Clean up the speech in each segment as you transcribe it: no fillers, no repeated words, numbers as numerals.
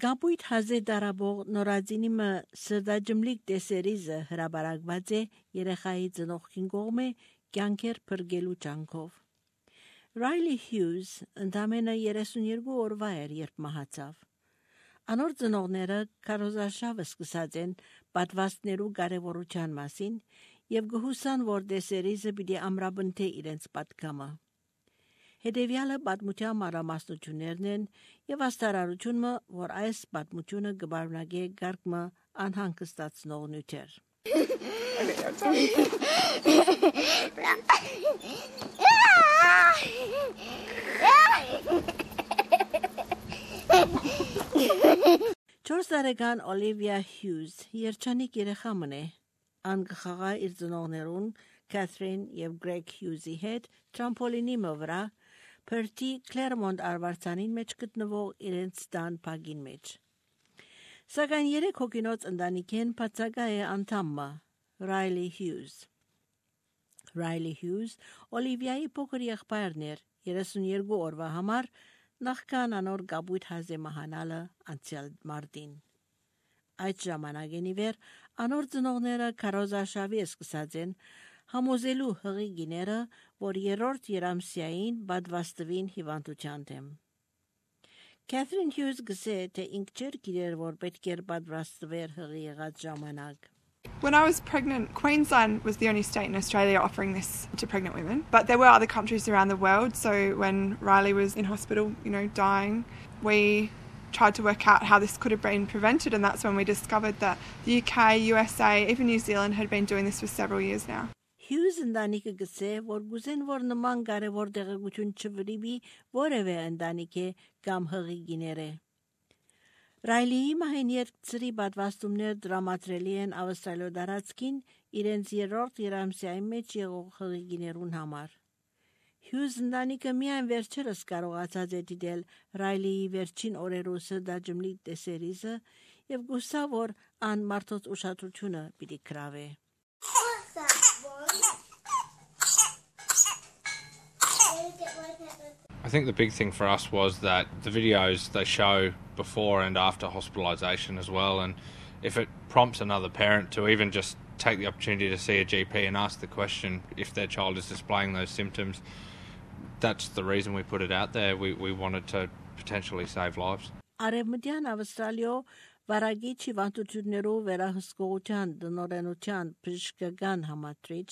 Գաբույթ հազե դարաբող նորածինիմը սրդաջմլիկ տեսերիզը հրաբարակված է երեխայի ծնողքին կողմէ կյանքեր փրկելու ջանքով։ Ռայլի Հյուզ ընդամենը 32 օրվա էր, երբ մահացավ։ Անոր ծնողները քարոզարշավը սկսած են պատվաստներու կարևորության մասին եւ գհուսան, որ տեսերիզը պիտի ամրապնդե իրենց պատգամը։ Հետևյալը պատմության մանրամասնություններն են եւ աստարարությունը, որ այս պատմությունը կբարունակե գարկմը անհանգստացնող նյութեր։ Չորս տարեկան Օլիվիա Հյուզ երջանիկ երեխա մնե, ան կխաղա իր ծնողներուն Քաթրին եւ Գրեգ Հյուզի հետ տրամպոլինի վրա Փրտի Կլերմոնտ արվարձանին մեջ գտնվող իրենց տան փագին մեջ։ Սակայն 3 հոգինոց ընտանիքեն բացակա է անդամը Ռայլի Հյուզ։ Ռայլի Հյուզ Օլիվիայի փոքր եղբայրն էր 32 օրվա համար նախքան անոր գաբույթ հազե մահանալը անցյալ մարտին։ Այդ ժամանակեն ի վեր անոր ծնողները քարոզարշավի սկսած են համոզելու հղի գիները, որ երրորդ երամսյային բադվաստվին հիվանդության դեմ։ Քաթրին Հյուզ գսե, թե ինք չեր գիրեր, որ պետք էր բադվաստվեր հղի եղած ժամանակ։ When I was pregnant, Queensland was the only state in Australia offering this to pregnant women. But there were other countries around the world. So when Riley was in hospital, dying, we tried to work out how this could have been prevented. And that's when we discovered that the UK, USA, even New Zealand had been doing this for several years now. Հյուզ ընտանիքը գսե, որ գուզեն, որ նման կարևոր տեղեկություն չվրիբի որևէ ընտանիքի կամ հղի գիները։ Ռայլիի մահին երկծրի պատվաստումներ դրամատրելի են Ավստրալիո դարածքին իրենց երրորդ երամսյայի մեջ եղող հղի գիներուն համար։ Հյուզ ընտանիքը միայն վերջերս կարողացած է դիտել Ռայլիի վերջին օրերու սրդաջմլիկ տեսերիզը եւ գուսա, որ ան մարդոց ուշադրությունը պիտի գրավե։ I think the big thing for us was that the videos they show before and after hospitalisation as well, and if it prompts another parent to even just take the opportunity to see a GP and ask the question if their child is displaying those symptoms, that's the reason we put it out there. We wanted to potentially save lives. Արևմտյան Ավստրալիո վարագիչ հիվանդություններով վերահսկողության դնորենության բժշկական համադրիչ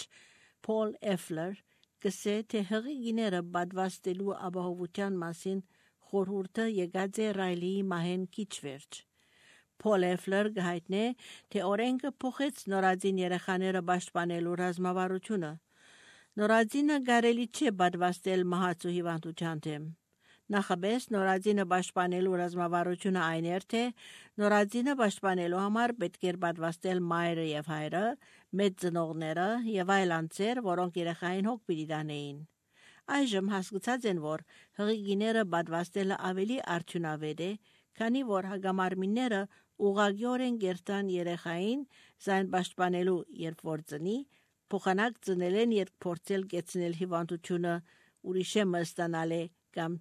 Փոլ Էֆլեր գսե, թե հղի գիները բադվաստելու ապահովության մասին խորհուրդը եկած է Ռայլիի մահեն քիչ վերջ։ Փոլ Էֆլեր գայտնե, թե օրենքը փոխեց նորածին երեխաները պաշտպանելու ռազմավարությունը։ Նորածինը կարելի չէ բադվաստել մահացու հիվանդության դեմ։ Նախաբես նորածինը պաշտպանելու ռազմավարությունը այն էր, թե նորածինը պաշտպանելու համար պետք էր պատվաստել մայրը եւ հայրը, մեծ ծնողները եւ այլ անձեր, որոնք երեխային հոգ պիտի տանեին։ Այժմ հասկացած են, որ հղի գիները պատվաստելը ավելի արդյունավետ է, քանի որ հագամարմինները ուղղակիորեն գերտան երեխային զայն պաշտպանելու, երբ որ ծնի, փոխանակ ծնելեն երբ փորձել կեցնել հիվանդությունը ուրիշը մստանալե կամ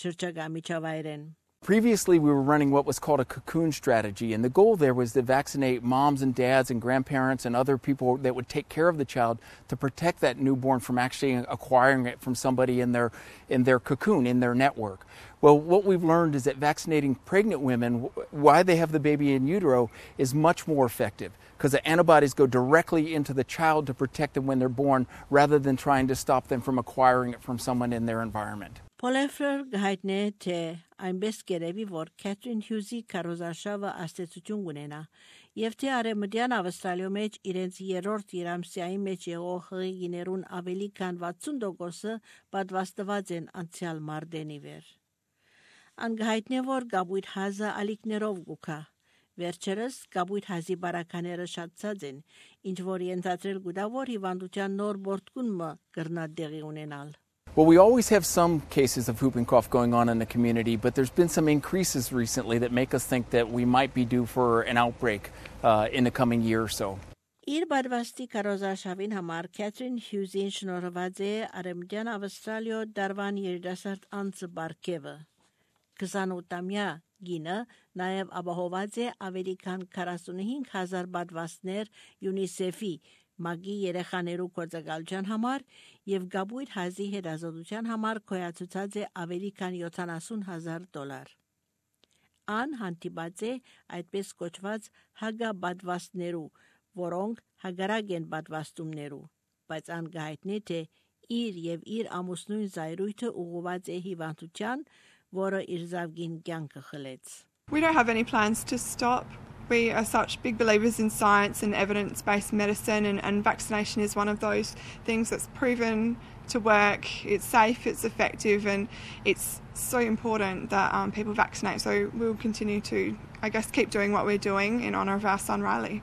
շրջակա միջավայրեն։ Previously, we were running what was called a cocoon strategy, and the goal there was to vaccinate moms and dads and grandparents and other people that would take care of the child to protect that newborn from actually acquiring it from somebody in their cocoon, in their network. Well, what we've learned is that vaccinating pregnant women, while they have the baby in utero, is much more effective because the antibodies go directly into the child to protect them when they're born rather than trying to stop them from acquiring it from someone in their environment. Պոլեֆլեր գայտնե, թե այնպես կերևի, որ Քաթրին Հյուզի քարոզարշավը աստեցություն ունենա, եւ թե արևմտյան Ավստրալիո մեջ իրենց երրորդ երամսյայի մեջ եղող հղի գիներուն ավելի քան 60%-ը պատվաստված են անցյալ մարտենի վեր։ Անգայտնե, որ գաբույթ հազը ալիքներով գուքա։ Վերջերս գաբույթ հազի բարակաները շատացած են, ինչ որ ենթադրել գուտա, որ հիվանդության նոր բորտկունը կրնա դեղի ունենալ։ Well, we always have some cases of whooping cough going on in the community, but there's been some increases recently that make us think that we might be due for an outbreak in the coming year or so. Իր բարվաստի կարոզարշավին համար Քաթրին Հյուզին շնորհված է Արևմտյան Ավստրալիո դարվան երիտասարդ անձը բարգևը։ 28-ամյա գինը նաև ապահոված է ավելի քան 45,000 պատվաստներ UNICEF-ի մագի երեխաներու գործակալության համար եւ Գաբույր հազի հետազոտության համար կոյացուցած է ավելի քան $70,000։ Ան հանդիպած է այդպես կոչված հագաբադվաստներու, որոնք հագարակ են պատվաստումներու, բայց ան գայտնի թե իր եւ իր ամուսնույն զայրույթը ուղղված է հիվանդության, որը իր զավգին կյանքը խլեց։ We don't have any plans to stop. We are such big believers in science and evidence-based medicine, and vaccination is one of those things that's proven to work. It's safe, it's effective, and it's so important that people vaccinate. So we'll continue to, I guess, keep doing what we're doing in honour of our son Riley.